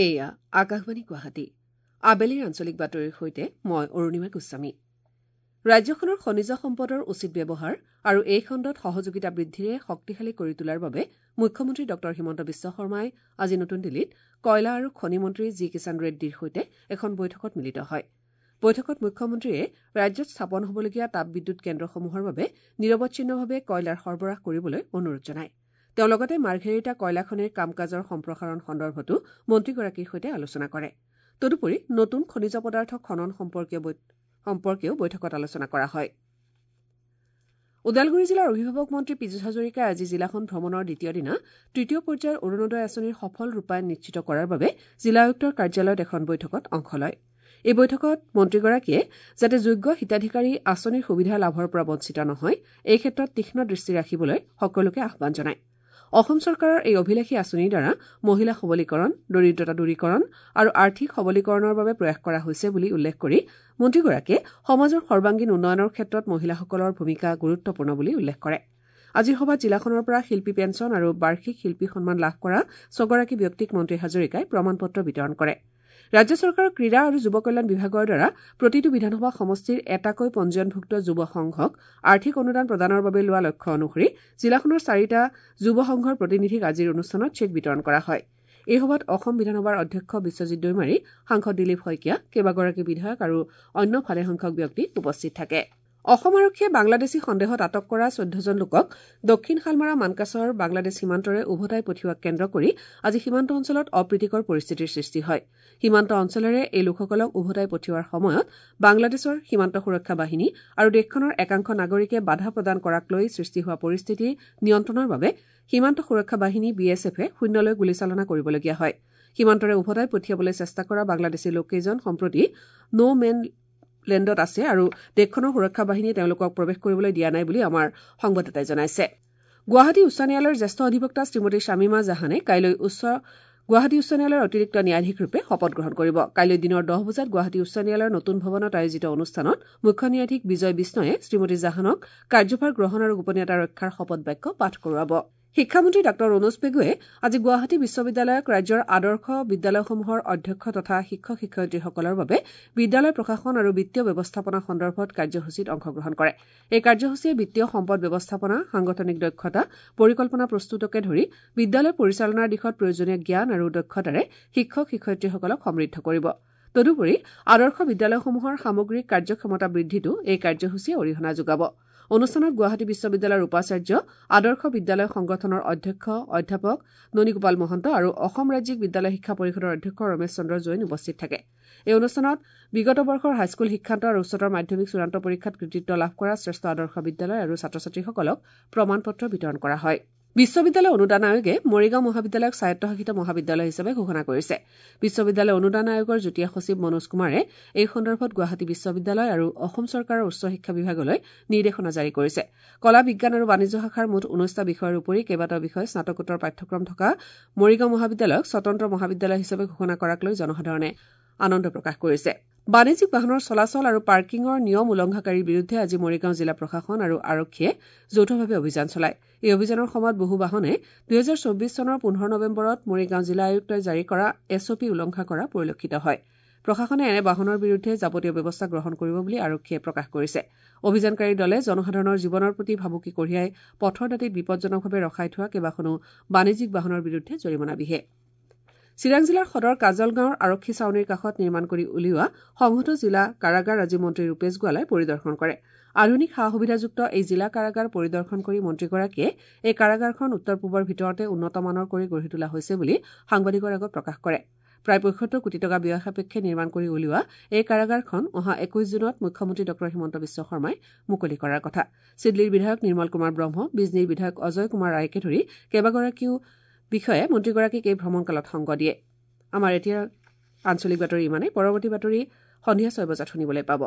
এয়া আকাশবাণী গুৱাহাটী। আবেলিৰ আঞ্চলিক বাতৰিৰ সৈতে মই অৰুণিমা গোস্বামী। ৰাজ্যখনৰ খনিজ সম্পদৰ উচিত ব্যৱহাৰ আৰু এই খণ্ডত সহযোগিতা বৃদ্ধিৰে শক্তিশালী কৰি তোলাৰ বাবে মুখ্যমন্ত্ৰী ডঃ হিমন্ত বিশ্ব শৰ্মাই আজি নতুন দিল্লীত কয়লা আৰু খনি মন্ত্ৰী জি কিষাণ ৰেড্ডীৰ সৈতে এখন বৈঠকত মিলিত হয়। বৈঠকত মুখ্যমন্ত্ৰীয়ে ৰাজ্যত স্থাপন হ'বলগীয়া তাপবিদ্যুৎ কেন্দ্ৰসমূহৰ বাবে নিৰৱচ্ছিন্নভাৱে কয়লাৰ সৰবৰাহ কৰিবলৈ অনুৰোধ জনায়। তেওঁ লগতে মাৰ্ঘেৰিটা কয়লা খনিৰ কাম কাজৰ সম্প্ৰসাৰণ সন্দৰ্ভতো মন্ত্ৰীগৰাকীৰ সৈতে আলোচনা কৰে। তদুপৰি নতুন খনিজ পদাৰ্থ খনন সম্পৰ্কেও বৈঠকত আলোচনা কৰা হয়। ওদালগুৰি জিলাৰ অভিভাৱক মন্ত্ৰী পীযুষ হাজৰিকাই আজি জিলাখন ভ্ৰমণৰ দ্বিতীয় দিনা তৃতীয় পৰ্যায়ৰ অৰুণোদয় আঁচনিৰ সফল ৰূপায়ণ নিশ্চিত কৰাৰ বাবে জিলা আয়ুক্তৰ কাৰ্যালয়ত এখন বৈঠকত অংশ লয়। এই বৈঠকত মন্ত্ৰীগৰাকীয়ে যাতে যোগ্য হিতাধিকাৰী আঁচনিৰ সুবিধা লাভৰ পৰা বঞ্চিত নহয় এই ক্ষেত্ৰত তীক্ষ্ণ দৃষ্টি ৰাখিবলৈ সকলোকে আহ্বান জনায়। অসম চৰকাৰৰ এই অভিলাষী আঁচনিৰ দ্বাৰা মহিলা সবলীকৰণ, দৰিদ্ৰতা দূৰীকৰণ আৰু আৰ্থিক সবলীকৰণৰ বাবে প্ৰয়াস কৰা হৈছে বুলি উল্লেখ কৰি মন্ত্ৰীগৰাকীয়ে সমাজৰ সৰ্বাংগীন উন্নয়নৰ ক্ষেত্ৰত মহিলাসকলৰ ভূমিকা গুৰুত্বপূৰ্ণ বুলি উল্লেখ কৰে। আজিৰ সভাত জিলাখনৰ পৰা শিল্পী পেঞ্চন আৰু বাৰ্ষিক শিল্পী সন্মান লাভ কৰা ৬গৰাকী ব্যক্তিক মন্ত্ৰী হাজৰিকাই প্ৰমাণ পত্ৰ বিতৰণ কৰে। ৰাজ্য চৰকাৰৰ ক্ৰীড়া আৰু যুৱ কল্যাণ বিভাগৰ দ্বাৰা প্ৰতিটো বিধানসভা সমষ্টিৰ এটাকৈ পঞ্জীয়নভুক্ত যুৱ সংঘক আৰ্থিক অনুদান প্ৰদানৰ বাবে লোৱা লক্ষ্য অনুসৰি জিলাখনৰ ৪টা যুৱ সংঘৰ প্ৰতিনিধিক আজিৰ অনুষ্ঠানত চেক বিতৰণ কৰা হয়। এই সভাত অসম বিধানসভাৰ অধ্যক্ষ বিশ্বজিৎ দৈমাৰী, সাংসদ দিলীপ শইকীয়া, কেইবাগৰাকী বিধায়ক আৰু অন্য ভালেসংখ্যক ব্যক্তি উপস্থিত থাকে। অসম আৰক্ষীয়ে বাংলাদেশী সন্দেহত আটক কৰা ১৪জন লোকক দক্ষিণ শালমাৰা মানকাচৰ বাংলাদেশ সীমান্তৰে উভতাই পঠিওৱাক কেন্দ্ৰ কৰি আজি সীমান্ত অঞ্চলত অপ্ৰীতিকৰ পৰিস্থিতিৰ সৃষ্টি হয়। সীমান্ত অঞ্চলেৰে এই লোকসকলক উভতাই পঠিওৱাৰ সময়ত বাংলাদেশৰ সীমান্ত সুৰক্ষা বাহিনী আৰু দেশখনৰ একাংশ নাগৰিকে বাধা প্ৰদান কৰাক লৈ সৃষ্টি হোৱা পৰিস্থিতি নিয়ন্ত্ৰণৰ বাবে সীমান্ত সুৰক্ষা বাহিনী বি এছ এফে শূন্যলৈ গুলীচালনা কৰিবলগীয়া হয়। সীমান্তৰে উভতাই পঠিয়াবলৈ চেষ্টা কৰা বাংলাদেশী লোককেইজন সম্প্ৰতি ন' মেন লেণ্ডত আছে আৰু দেশখনৰ সুৰক্ষা বাহিনীয়ে তেওঁলোকক প্ৰৱেশ কৰিবলৈ দিয়া নাই বুলি আমাৰ সংবাদদাতাই জনাইছে। গুৱাহাটী উচ্চ ন্যায়ালয়ৰ জ্যেষ্ঠ অধিবক্তা শ্ৰীমতী শামীমা জাহানে কাইলৈ গুৱাহাটী উচ্চ ন্যায়ালয়ৰ অতিৰিক্ত ন্যায়াধীশৰূপে শপত গ্ৰহণ কৰিব। কাইলৈ দিনৰ ১০ বজাত গুৱাহাটী উচ্চ ন্যায়ালয়ৰ নতুন ভৱনত আয়োজিত অনুষ্ঠানত মুখ্য ন্যায়াধীশ বিজয় বিষ্ণয়ে শ্ৰীমতী জাহানক কাৰ্যভাৰ গ্ৰহণ আৰু গোপনীয়তা ৰক্ষাৰ শপত বাক্য পাঠ কৰোৱাব। শিক্ষামন্ত্ৰী ডাঃ ৰণোজ পেগুৱে আজি গুৱাহাটী বিশ্ববিদ্যালয়ক ৰাজ্যৰ আদৰ্শ বিদ্যালয়সমূহৰ অধ্যক্ষ তথা শিক্ষক শিক্ষয়িত্ৰীসকলৰ বাবে বিদ্যালয় প্ৰশাসন আৰু বিত্তীয় ব্যৱস্থাপনা সন্দৰ্ভত কাৰ্যসূচীত অংশগ্ৰহণ কৰে। এই কাৰ্যসূচীয়ে বিত্তীয় সম্পদ ব্যৱস্থাপনা, সাংগঠনিক দক্ষতা, পৰিকল্পনা প্ৰস্তুতকে ধৰি বিদ্যালয় পৰিচালনাৰ দিশত প্ৰয়োজনীয় জ্ঞান আৰু দক্ষতাৰে শিক্ষক শিক্ষয়িত্ৰীসকলক সমৃদ্ধ কৰিব। তদুপৰি আদৰ্শ বিদ্যালয়সমূহৰ সামগ্ৰিক কাৰ্যক্ষমতা বৃদ্ধিতো এই কাৰ্যসূচীয়ে অৰিহণা যোগাব। অনুষ্ঠানত গুৱাহাটী বিশ্ববিদ্যালয়ৰ উপাচাৰ্য, আদৰ্শ বিদ্যালয় সংগঠনৰ অধ্যক্ষ অধ্যাপক ননীগোপাল মহন্ত আৰু অসম ৰাজ্যিক বিদ্যালয় শিক্ষা পৰিষদৰ অধ্যক্ষ ৰমেশ চন্দ্ৰ জৈন উপস্থিত থাকে। এই অনুষ্ঠানত বিগত বৰ্ষৰ হাইস্কুল শিক্ষান্ত আৰু উচ্চতৰ মাধ্যমিক চূড়ান্ত পৰীক্ষাত কৃতিত্ব লাভ কৰা শ্ৰেষ্ঠ আদৰ্শ বিদ্যালয় আৰু ছাত্ৰ ছাত্ৰীসকলক প্ৰমাণ পত্ৰ বিতৰণ কৰা হয়। বিশ্ববিদ্যালয় অনুদান আয়োগে মৰিগাঁও মহাবিদ্যালয়ক স্বায়ত্তশাসিত মহাবিদ্যালয় হিচাপে ঘোষণা কৰিছে। বিশ্ববিদ্যালয় অনুদান আয়োগৰ যুটীয়া সচিব মনোজ কুমাৰে এই সন্দৰ্ভত গুৱাহাটী বিশ্ববিদ্যালয় আৰু অসম চৰকাৰৰ উচ্চ শিক্ষা বিভাগলৈ নিৰ্দেশনা জাৰি কৰিছে। কলা, বিজ্ঞান আৰু বাণিজ্য শাখাৰ মুঠ ১৯টা বিষয়ৰ উপৰি কেইবাটাও বিষয় স্নাতকোত্তৰ পাঠ্যক্ৰম থকা মৰিগাঁও মহাবিদ্যালয়ক স্বতন্ত্ৰ মহাবিদ্যালয় হিচাপে ঘোষণা কৰাক লৈ জনসাধাৰণে আনন্দ প্ৰকাশ কৰিছে। বাণিজ্যিক বাহনৰ চলাচল আৰু পাৰ্কিঙৰ নিয়ম উলংঘাকাৰীৰ বিৰুদ্ধে আজি মৰিগাঁও জিলা প্ৰশাসন আৰু আৰক্ষীয়ে যৌথভাৱে অভিযান চলায়। এই অভিযানৰ সময়ত বহু বাহনে ২০২৪ চনৰ ১৫ নৱেম্বৰত মৰিগাঁও জিলা আয়ুক্তই জাৰি কৰা এছ অ' পি উলংঘা কৰা পৰিলক্ষিত হয়। প্ৰশাসনে এনে বাহনৰ বিৰুদ্ধে যাৱতীয় ব্যৱস্থা গ্ৰহণ কৰিব বুলি আৰক্ষীয়ে প্ৰকাশ কৰিছে। অভিযানকাৰী দলে জনসাধাৰণৰ জীৱনৰ প্ৰতি ভাবুকি কঢ়িয়াই পথৰ দাঁতিত বিপদজনকভাৱে ৰখাই থোৱা কেইবাখনো বাণিজ্যিক বাহনৰ বিৰুদ্ধে জৰিমনা বিহে। চিৰাং জিলাৰ সদৰ কাজলগাঁৱৰ আৰক্ষী ছাউনিৰ কাষত নিৰ্মাণ কৰি উলিওৱা সংহত জিলা কাৰাগাৰ আজি মন্ত্ৰী ৰূপেশ গোৱালাই পৰিদৰ্শন কৰে। আধুনিক সা সুবিধাযুক্ত এই জিলা কাৰাগাৰ পৰিদৰ্শন কৰি মন্ত্ৰীগৰাকীয়ে এই কাৰাগাৰখন উত্তৰ পূবৰ ভিতৰতে উন্নত মানৰ কৰি গঢ়ি তোলা হৈছে বুলি সাংবাদিকৰ আগত প্ৰকাশ কৰে। প্ৰায় ৭৫ কোটি টকা ব্যয় সাপেক্ষে নিৰ্মাণ কৰি উলিওৱা এই কাৰাগাৰখন অহা ২১ জুনত মুখ্যমন্ত্ৰী ডঃ হিমন্ত বিশ্ব শৰ্মাই মুকলি কৰাৰ কথা। চিডলীৰ বিধায়ক নিৰ্মল কুমাৰ ব্ৰহ্ম, বিজনীৰ বিধায়ক অজয় কুমাৰ ৰায়কে ধৰি কেইবাগৰাকীও বিষয়ে মন্ত্ৰীগৰাকীক এই ভ্ৰমণকালত সংগ দিয়ে। আমাৰ এতিয়া আঞ্চলিক বাতৰি ইমানেই। পৰৱৰ্তী বাতৰি সন্ধিয়া ৬ বজাত শুনিবলৈ পাব।